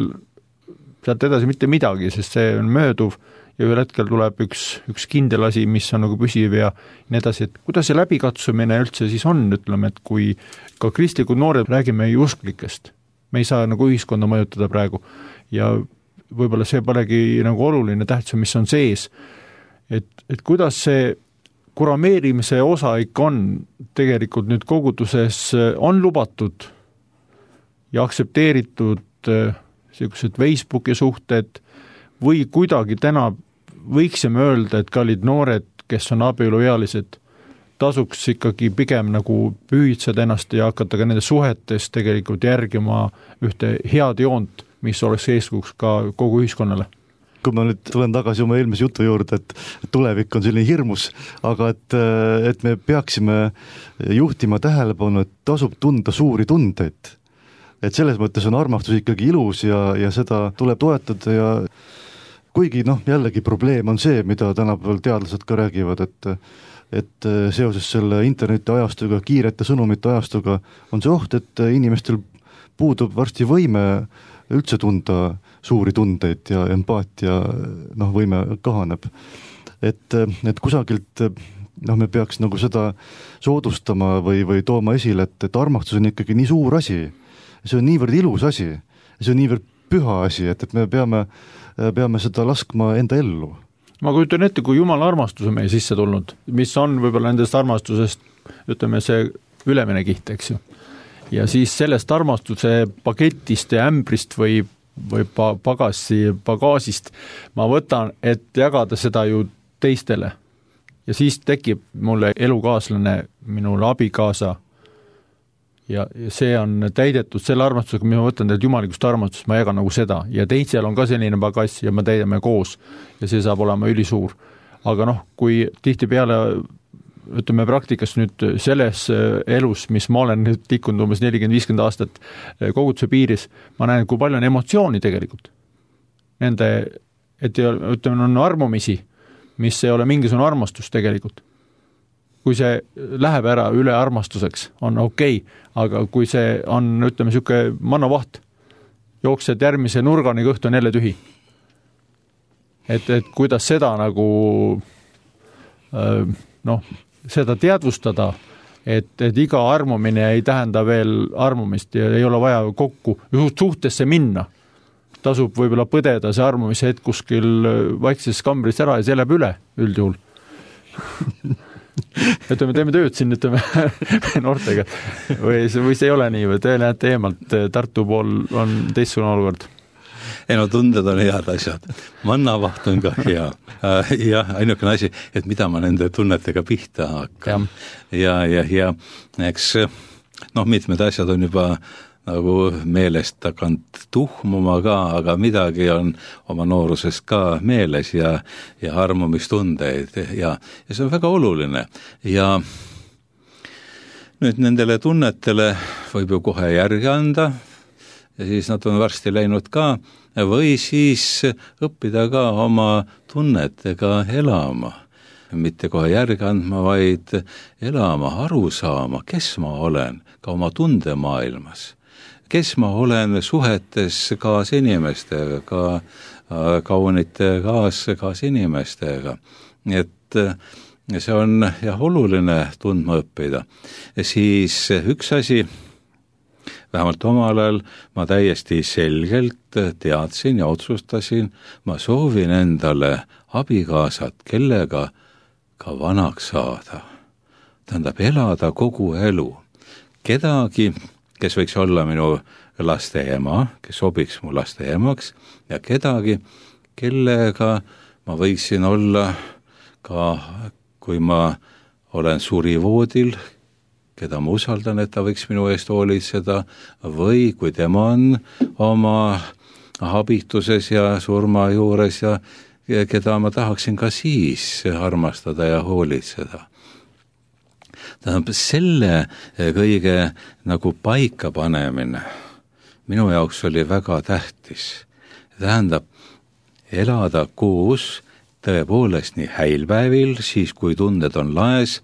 sealt edasi mitte midagi, sest see on mööduv ja ühel hetkel tuleb üks, üks kindel asi, mis on nagu püsiv ja nii edasi, et kuidas see läbikatsumine üldse siis on, ütleme, et kui ka kristlikud noored räägime ju usklikest, me ei saa nagu ühiskonda mõjutada praegu ja võib-olla see polegi nagu oluline tähtsam, mis on sees, et, et kuidas see kurameerimise osa ikka on tegelikult nüüd koguduses on lubatud ja aktsepteeritud sellised Facebooki suhted või kuidagi täna võiksime öelda, et kallid noored, kes on abieluealised, tasuks ikkagi pigem nagu püüitseda ennast ja hakata ka nende suhetes tegelikult järgima ühte head joont, mis oleks eeskujuks ka kogu ühiskonnale. Kui ma nüüd tulen tagasi oma eelmise jutu juurde, et tulevik on selline hirmus, aga et, et me peaksime juhtima tähelepanu, et tasub tunda suuri tundeid. Et selles mõttes on armastus ikkagi ilus ja, ja seda tuleb toetada ja kuigi noh, jällegi probleem on see, mida tänapäeval teadlased ka räägivad, et et seoses selle interneti ajastuga, kiirete sõnumite ajastuga on see oht, et inimestel puudub varsti võime üldse tunda suuri tundeid ja empaatia noh, võime kahaneb. Et, et kusagilt noh, me peaks nagu seda soodustama või, või tooma esile, et, et armastus on ikkagi nii suur asi. See on niivõrd ilus asi, see on niivõrd püha asi, et, et me peame, peame seda laskma enda ellu. Ma kujutan ette, kui Jumala armastus on meie sisse tulnud, mis on võib-olla nendest armastusest, ütleme see ülemine kiht, eks ju. Ja siis sellest armastuse paketist ja ämbrist või, või pagasi, pagaasist ma võtan, et jagada seda ju teistele. Ja siis tekib mulle elukaaslane, minule abikaasa ja see on täidetud selle armastusega, mis ma võtan teilt jumalikust armastust, ma jagan nagu seda ja teisel on ka selline bagass ja me täidame koos ja see saab olema ülisuur. Aga noh, kui tihti peale ütleme praktikas nüüd selles elus, mis ma olen nüüd tikkunud umbes nelikümmend viiskümmend aastat koguduse piiris, ma näen, kui palju on emotsiooni tegelikult. Nende, et ütleme, on armumisi, mis ei ole mingisugune armastus tegelikult. Kui see läheb ära üle armastuseks, on okei, okay, aga kui see on, ütleme, siuke mannavaht, jooksed järgmise nurgani, kõht on jälle tühi. Et, et kuidas seda nagu noh, seda teadvustada, et, et iga armumine ei tähenda veel armumist ja ei ole vaja kokku suhtesse minna. Tasub võib-olla põdeda see armumise hetk kuskil vaikses kambris ära ja see läheb üle üldjuhul. Ütleme, teeme tööd siin, ütleme, noortega. Või, või see ei ole nii, või te lähete eemalt, Tartu pool on teistsugune olukord? Ei no tunded on head asjad. Mannavaht on ka hea. Ja ainukene asi, et mida ma nende tunnetega pihta hakkan. Ja, ja, ja eks noh, mitmed asjad on juba nagu meelest takant tuhmuma ka, aga midagi on oma noorusest ka meeles ja, ja armumistundeid ja, ja see on väga oluline. Ja nüüd nendele tunnetele võib ju kohe järgi anda ja siis nad on varsti läinud ka või siis õppida ka oma tunnetega elama. Mitte kohe järgi andma, vaid elama, aru saama, kes ma olen ka oma tundemaailmas. Kes ma olen suhetes kaasinimestega, ka kaunite kaas, kaasinimestega. Et see on jah, oluline tundma õppida. Ja siis üks asi, vähemalt omal ajal ma täiesti selgelt teadsin ja otsustasin, ma soovin endale abikaasat, kellega ka vanaks saada. Tähendab, elada kogu elu. Kedagi, kes võiks olla minu laste ema, kes sobiks mu laste emaks ja kedagi, kellega ma võiksin olla ka, kui ma olen surivoodil, keda ma usaldan, et ta võiks minu eest hoolitseda, või kui tema on oma habituses ja surma juures ja, ja keda ma tahaksin ka siis armastada ja hoolitseda. Tähendab, selle kõige nagu paika panemine minu jaoks oli väga tähtis. Tähendab, elada koos tõepoolest nii häilpäevil, siis kui tunded on laes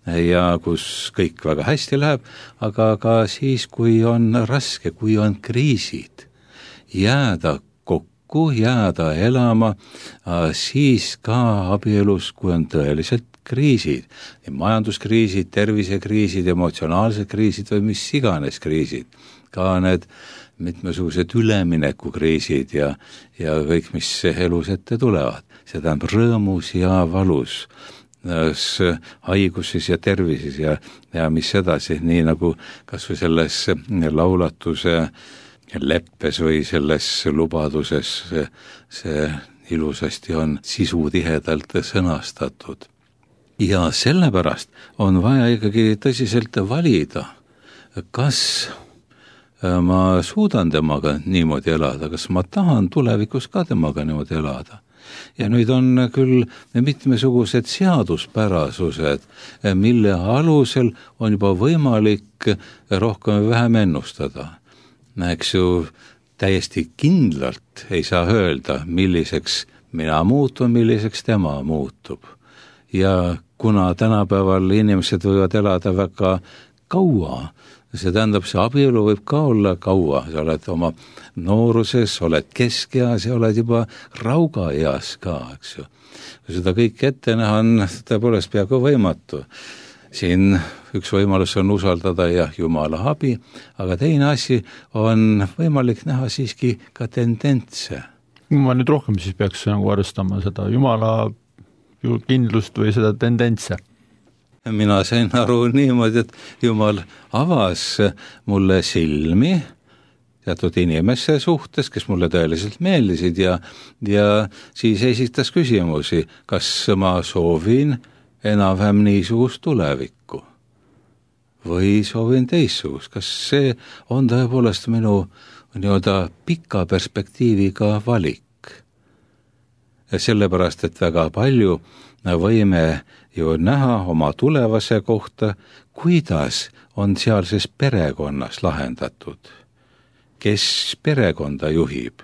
ja kus kõik väga hästi läheb, aga ka siis, kui on raske, kui on kriisid. Jääda kokku, jääda elama, siis ka abielus, kui on tõeliselt kriisid, majanduskriisid, tervisekriisid, emotsionaalsed kriisid või mis iganes kriisid, ka need mitmesugused üleminekukriisid ja, ja kõik, mis elus ette tulevad. See tähendab rõõmus ja valus, haiguses ja tervises ja, ja mis edasi, nii nagu kas või selles laulatuse leppes või selles lubaduses see, see ilusasti on sisutihedalt sõnastatud. Ja sellepärast on vaja ikkagi tõsiselt valida, kas ma suudan temaga niimoodi elada, kas ma tahan tulevikus ka temaga niimoodi elada. Ja nüüd on küll mitmesugused seaduspärasused, mille alusel on juba võimalik rohkem või vähem ennustada. Eks ju, täiesti kindlalt ei saa öelda, milliseks mina muutun, milliseks tema muutub. Ja kuna tänapäeval inimesed võivad elada väga kaua, see tähendab, see abielu võib ka olla kaua, sa oled oma nooruses, oled keskeas ja oled juba raugaeas ka, eks ju. Kui seda kõik ette näha on tõepoolest peaaegu võimatu. Siin üks võimalus on usaldada ja Jumala abi, aga teine asi on võimalik näha siiski ka tendentse. Ma nüüd rohkem siis peaks nagu arvestama seda Jumala kindlust või seda tendentse. Mina sain aru niimoodi, et Jumal avas mulle silmi teatud inimesse suhtes, kes mulle tõeliselt meeldisid ja, ja siis esitas küsimusi, kas ma soovin enam-vähem niisugust tulevikku või soovin teistsugust, kas see on tõepoolest minu nii-öelda pika perspektiiviga valik. Ja sellepärast, et väga palju võime ju näha oma tulevase kohta, kuidas on sealses perekonnas lahendatud. Kes perekonda juhib?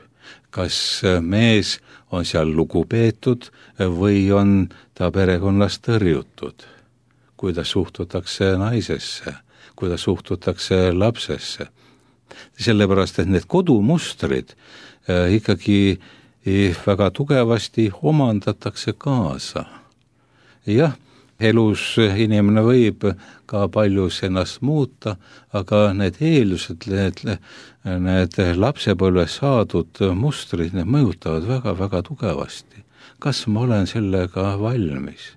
Kas mees on seal lugupeetud või on ta perekonnas tõrjutud? Kuidas suhtutakse naisesse? Kuidas suhtutakse lapsesse? Sellepärast, et need kodumustrid ikkagi väga tugevasti omandatakse kaasa. Jah, elus inimene võib ka paljus ennast muuta, aga need eeldused, need, need lapsepõlves saadud mustrid, need mõjutavad väga-väga tugevasti. Kas ma olen sellega valmis?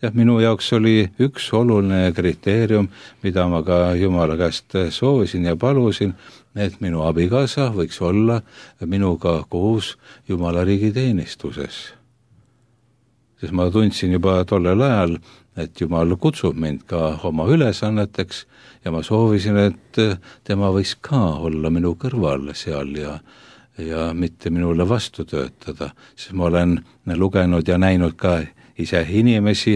Ja minu jaoks oli üks oluline kriteerium, mida ma ka Jumala käest soovisin ja palusin, et minu abikaasa võiks olla minuga koos Jumala riigi teenistuses. Sest ma tundsin juba tollel ajal, et Jumal kutsub mind ka oma ülesanneteks ja ma soovisin, et tema võiks ka olla minu kõrval seal ja, ja mitte minule vastu töötada. Sest ma olen lugenud ja näinud ka ise inimesi,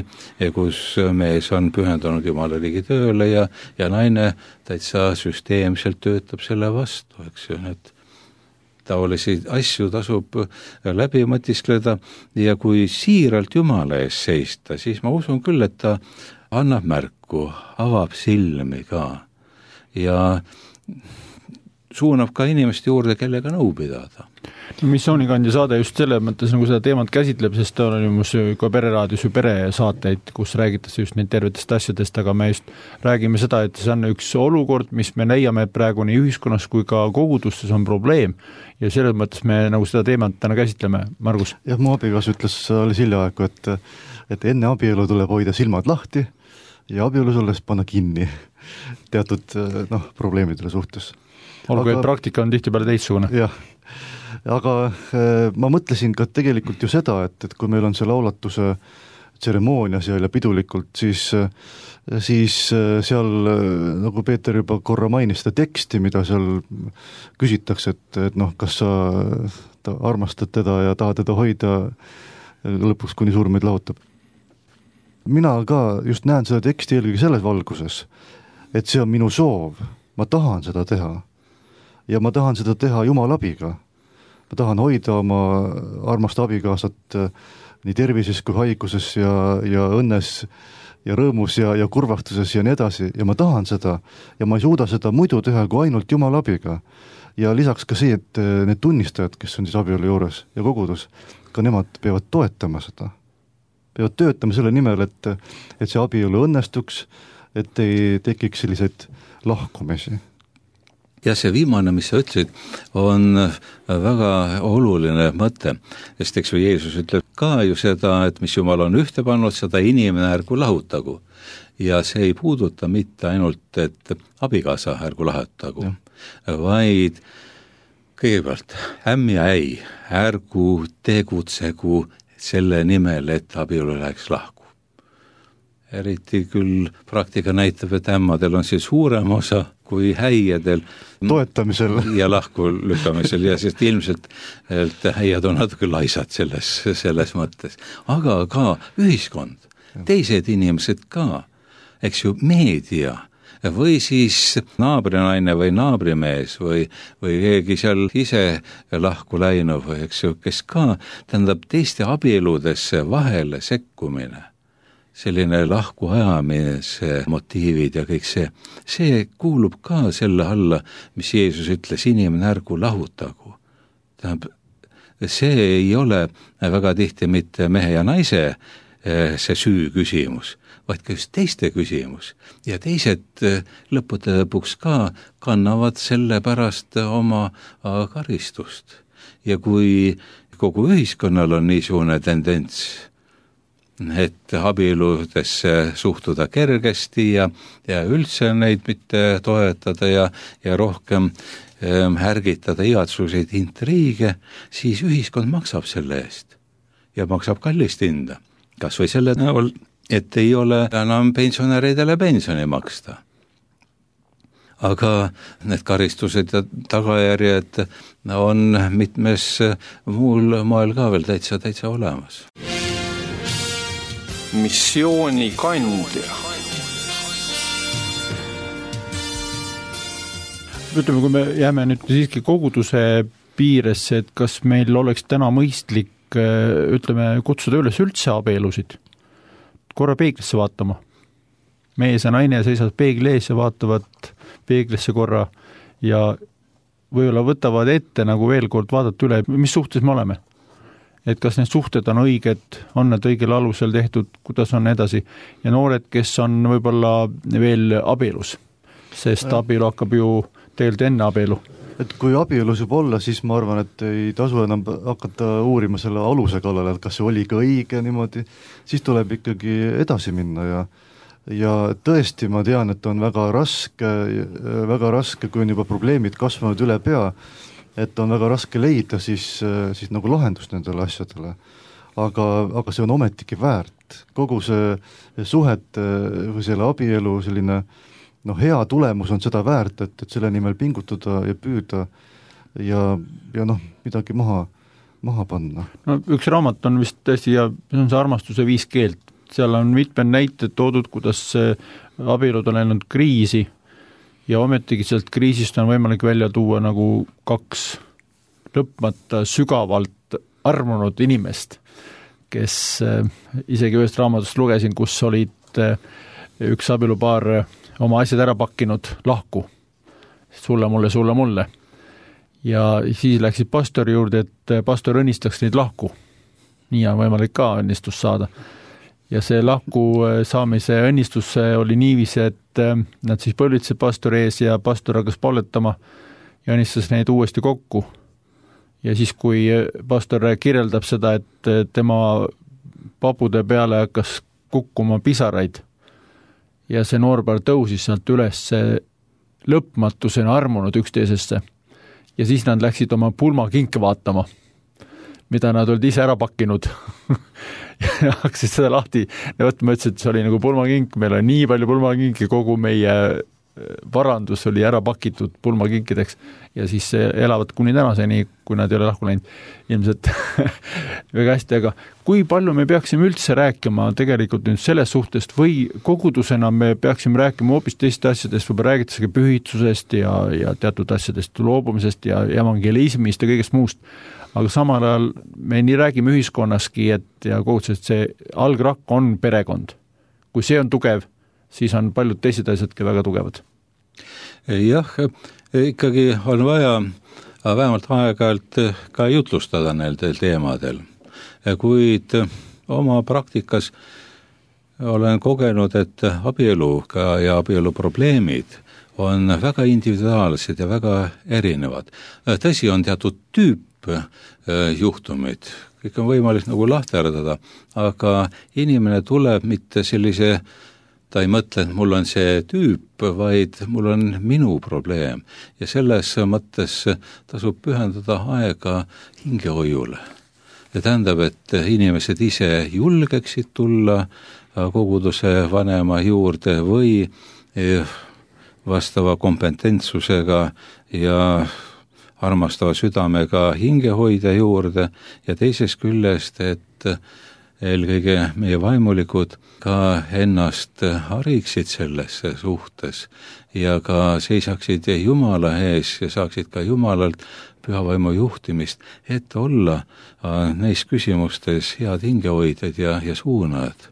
kus mees on pühendunud Jumala riigi tööle ja, ja naine täitsa süsteemselt töötab selle vastu, eks ju, et taolisi asju tasub läbi mõtiskleda ja kui siiralt Jumala ees seista, siis ma usun küll, et ta annab märku, avab silmi ka ja suunab ka inimeste juurde, kellega nõu pidada. Missioonikandja saade just selle mõttes nagu seda teemat käsitleb, sest ta on ju ka pereraadios ju peresaateid, kus räägitakse just neid tervetest asjadest, aga me just räägime seda, et see on üks olukord, mis me leiame praegu nii ühiskonnas kui ka kogudustes on probleem ja selles mõttes me nagu seda teemat täna käsitleme. Margus? Jah, mu abikas ütles alles hiljaaegu, et, et enne abielu tuleb hoida silmad lahti ja abielus olles panna kinni. teatud noh, probleemidele suhtes. olgu, et praktika on tihtipeale teistsugune. jah, aga ma mõtlesin ka tegelikult ju seda, et, et kui meil on see laulatuse tseremoonia seal ja pidulikult, siis, siis seal, nagu Peeter juba korra mainis, seda teksti, mida seal küsitakse, et, et noh, kas sa armastad teda ja tahad teda hoida lõpuks, kuni surm meid lahutab. Mina ka just näen seda teksti eelkõige selles valguses, et see on minu soov, ma tahan seda teha ja ma tahan seda teha Jumala abiga. Ma tahan hoida oma armast abikaasat nii tervises kui haiguses ja, ja õnnes ja rõõmus ja, ja kurvastuses ja nii edasi ja ma tahan seda ja ma ei suuda seda muidu teha kui ainult Jumala abiga. Ja lisaks ka see, et need tunnistajad, kes on siis abielu juures ja kogudus, ka nemad peavad toetama seda. Peavad töötama selle nimel, et, et see abielu õnnestuks, et ei tekiks selliseid lahkumisi. Ja see viimane, mis sa ütlesid, on väga oluline mõte, sest eks või Jeesus ütleb ka ju seda, et mis Jumal on ühte pannud, seda inimene ärgu lahutagu. Ja see ei puuduta mitte ainult, et abikaasa ärgu lahutagu, ja. vaid kõigepealt ämm ja äi ärgu tegutsegu selle nimel, et abielu läheks lahku. Eriti küll praktika näitab, et ämmadel on siis suurem osa kui häiedel toetamisel ja lahku lükkamisel ja sest ilmselt et häied on natuke laisad selles, selles mõttes. Aga ka ühiskond, teised inimesed ka, eks ju meedia või siis naabrinaine või naabrimees või, või keegi seal ise lahku läinud või eks ju, kes ka tähendab teiste abieludesse vahele sekkumine. Selline lahku ajamise motiivid ja kõik see, see kuulub ka selle alla, mis Jeesus ütles, inimene ärgu lahutagu. Tähendab, see ei ole väga tihti mitte mehe ja naise see süü küsimus, vaid ka just teiste küsimus. Ja teised lõppude lõpuks ka kannavad selle pärast oma karistust. Ja kui kogu ühiskonnal on niisugune tendents, et abieludesse suhtuda kergesti ja, ja üldse neid mitte toetada ja, ja rohkem ähm, härgitada igatsuseid intriige, siis ühiskond maksab selle eest ja maksab kallist hinda. Kas või selle näol, et ei ole enam pensionäridele pensioni maksta. Aga need karistused ja tagajärjed on mitmes muul moel ka veel täitsa, täitsa olemas. Missiooni kandja. Ütleme, kui me jääme nüüd siiski koguduse piiresse, et kas meil oleks täna mõistlik, ütleme, kutsuda üles üldse abielusid, korra peeglisse vaatama. Mees ja naine seisavad peegli ees ja vaatavad peeglisse korra ja võib-olla võtavad ette nagu veel kord vaadata üle, mis suhtes me oleme. Et kas need suhted on õiged, on need õigel alusel tehtud, kuidas on edasi. Ja noored, kes on võib-olla veel abielus, sest abielu hakkab ju tegelikult enne abielu. Et kui abielus juba olla, siis ma arvan, et ei tasu enam hakata uurima selle aluse kallale, et kas see oli ka õige niimoodi, siis tuleb ikkagi edasi minna ja ja tõesti ma tean, et on väga raske, väga raske, kui on juba probleemid kasvanud üle pea, et on väga raske leida siis, siis nagu lahendust nendele asjadele. Aga, aga see on ometigi väärt. Kogu see suhet või selle abielu selline no, hea tulemus on seda väärt, et, et selle nimel pingutada ja püüda ja, ja noh, midagi maha, maha panna. No, üks raamat on vist tõesti ja see on see armastuse viis keelt. Seal on mitmed näited toodud, kuidas abielud on läinud kriisi ja ometigi sealt kriisist on võimalik välja tuua nagu kaks lõpmata sügavalt armunud inimest, kes isegi ühest raamatust lugesin, kus olid üks abielupaar oma asjad ära pakkinud lahku. Sulle, mulle, sulle, mulle. Ja siis läksid pastori juurde, et pastor õnnistaks neid lahku. Nii on võimalik ka õnnistust saada. Ja see lahku saamise õnnistus oli niiviisi, et nad siis põlvitsid pastori ees ja pastor hakkas pauletama ja õnnistas neid uuesti kokku. Ja siis, kui pastor kirjeldab seda, et tema papude peale hakkas kukkuma pisaraid ja see noorpaar tõusis sealt üles lõpmatusena armunud üksteisesse ja siis nad läksid oma pulmakinke vaatama, mida nad olid ise ära pakkinud ja hakkasid seda lahti ja võtma, ütlesid, et see oli nagu pulmakink, meil on nii palju pulmakinke, kogu meie varandus oli ära pakitud pulmakinkideks ja siis elavad kuni tänaseni, kui nad ei ole lahku läinud ilmselt väga hästi, aga kui palju me peaksime üldse rääkima tegelikult nüüd selles suhtest või kogudusena me peaksime rääkima hoopis teist asjadest, võib räägitakse pühitsusest ja, ja teatud asjadest loobumisest ja evangelismist ja kõigest muust, aga samal ajal me nii räägime ühiskonnaski, et ja kogudusest see algrakk on perekond. Kui see on tugev, siis on paljud teised asjadki väga tugevad. Jah, ikkagi on vaja vähemalt aeg-ajalt ka jutlustada nendel teemadel. Kuid oma praktikas olen kogenud, et abielu ja abielu probleemid on väga individuaalsed ja väga erinevad. Tõsi on teatud tüüp juhtumid, kõik on võimalik nagu lahterdada, aga inimene tuleb mitte sellise ta ei mõtle, et mul on see tüüp, vaid mul on minu probleem ja selles mõttes tasub pühendada aega hingehoiule. Ja tähendab, et inimesed ise julgeksid tulla koguduse vanema juurde või vastava kompetentsusega ja armastava südamega hingehoidja juurde ja teisest küljest, et eelkõige meie vaimulikud ka ennast hariksid selles suhtes ja ka seisaksid Jumala ees ja saaksid ka Jumalalt pühavaimu juhtimist, et olla neis küsimustes head hingehoidjad ja, ja suunajad.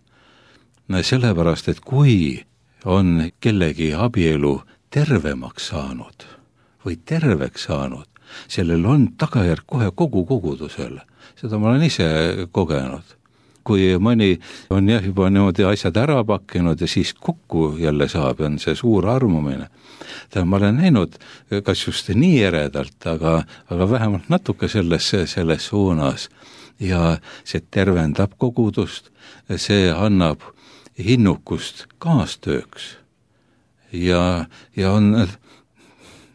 Sellepärast, et kui on kellegi abielu tervemaks saanud või terveks saanud, sellel on tagajärg kohe kogu kogudusele. Seda ma olen ise kogenud. Kui mõni on jah juba niimoodi asjad ära pakkinud ja siis kokku jälle saab, on see suur armumine. Ma olen näinud, kas just nii eredalt, aga, aga vähemalt natuke selles, selles suunas. Ja see tervendab kogudust, see annab hinnukust kaastööks ja, ja on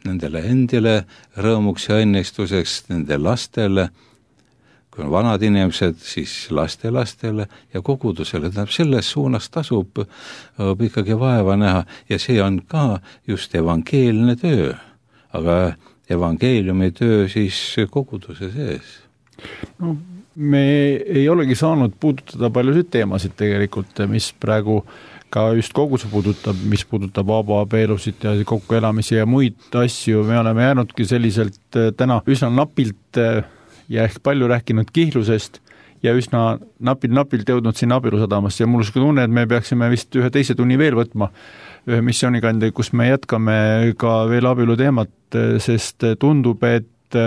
nendele endile rõõmuks ja õnnistuseks, nende lastele, kui on vanad inimesed, siis laste lastele ja kogudusele. Tähendab, selles suunas tasub ikkagi vaeva näha ja see on ka just evangeelne töö, aga evangeeliumi töö siis koguduse sees. No, me ei olegi saanud puudutada paljusid teemasid tegelikult, mis praegu ka just koguduse puudutab, mis puudutab vabaabeelusid ja kokkuelamisi ja muid asju. Me oleme jäänudki selliselt täna üsna napilt ja ehk palju rääkinud kihlusest ja üsna napilt-napilt jõudnud siin abielusadamast ja mul on tunne, et me peaksime vist ühe teise tunni veel võtma ühe missioonikandi, kus me jätkame ka veel abielu teemat, sest tundub, et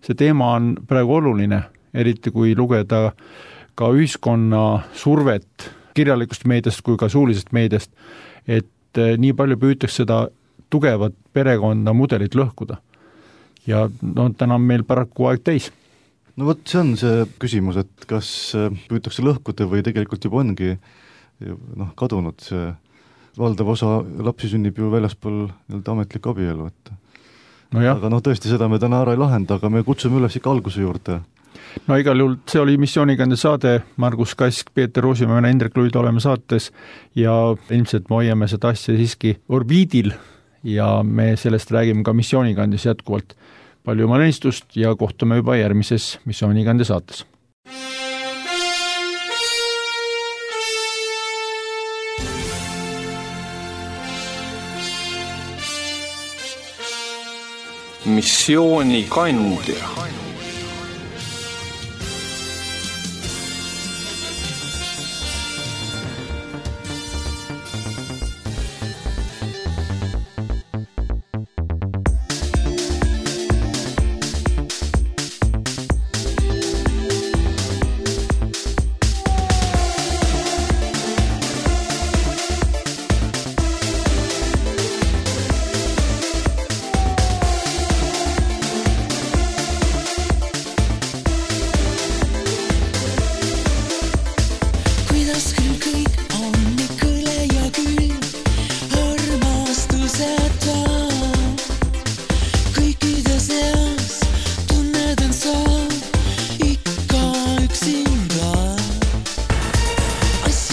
see teema on praegu oluline, eriti kui lugeda ka ühiskonna survet kirjalikust meediast kui ka suulisest meediast, et nii palju püütakse seda tugevat perekonda mudelit lõhkuda. Ja no, täna on meil paraku aeg täis. No vot, see on see küsimus, et kas püütakse lõhkuda või tegelikult juba ongi noh, kadunud see valdav osa lapsi sünnib ju väljaspool ametlik abielu. Et. No aga noh, tõesti seda me täna ära ei lahenda, aga me kutsume üles ikka alguse juurde. No igal juhul see oli missioonikande saade, Margus Kask, Peeter Ruusimäe ja Indrek Luid oleme saates ja ilmselt me hoiame seda asja siiski orbiidil ja me sellest räägime ka missioonikandis jätkuvalt. Palju õnnistust ja kohtume juba järgmises missioonikande saates. Missioonikandja.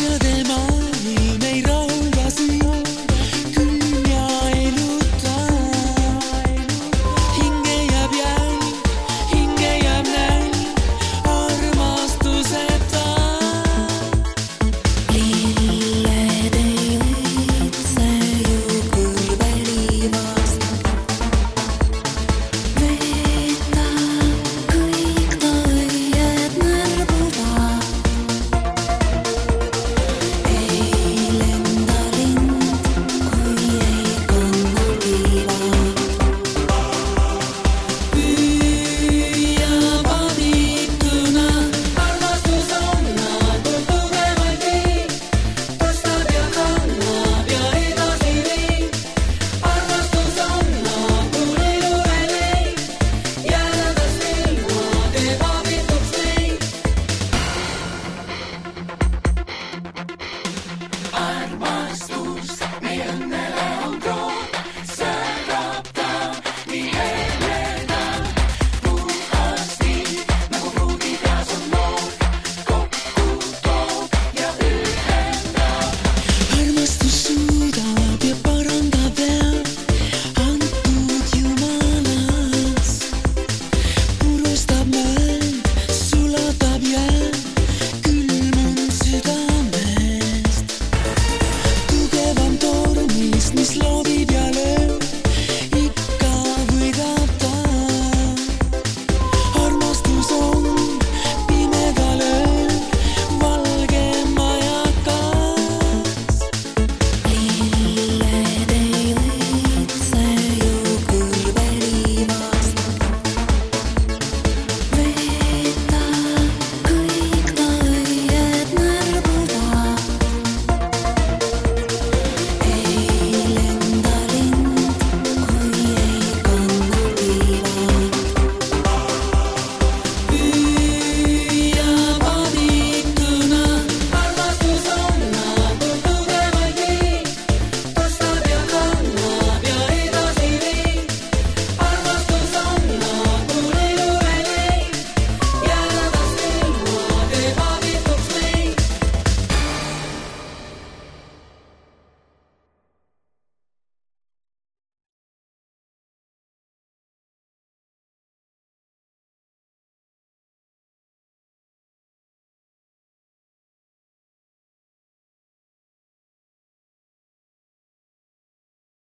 cielo del mondo.